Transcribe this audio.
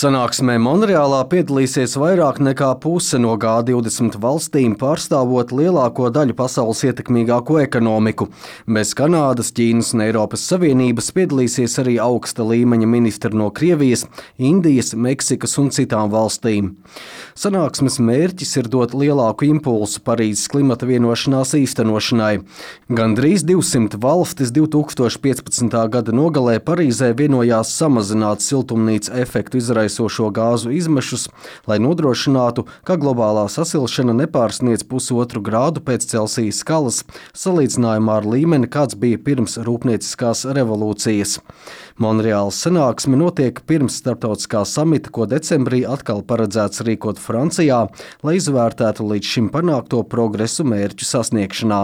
Sanāksmē Monreālā piedalīsies vairāk nekā puse no G20 valstīm, pārstāvot lielāko daļu pasaules ietekmīgāko ekonomiku. Bez Kanādas, Ķīnas un Eiropas Savienības piedalīsies arī augsta līmeņa ministri no Krievijas, Indijas, Meksikas un citām valstīm. Sanāksmes mērķis ir dot lielāku impulsu Parīzes klimata vienošanās īstenošanai. Gandrīz 200 valstis 2015. gada nogalē Parīzē vienojās samazināt siltumnīca efektu izraisošo gāzu izmešus, lai nodrošinātu, ka globālā sasilšana nepārsniedz 1,5 grādu pēc Celsija skalas, salīdzinājumā ar līmeni, kāds bija pirms rūpnieciskās revolūcijas. Monreālas sanāksme notiek pirms starptautiskā samita, ko decembrī atkal paredzēts rīkot Francijā, lai izvērtētu līdz šim panākto progresu mērķu sasniegšanā.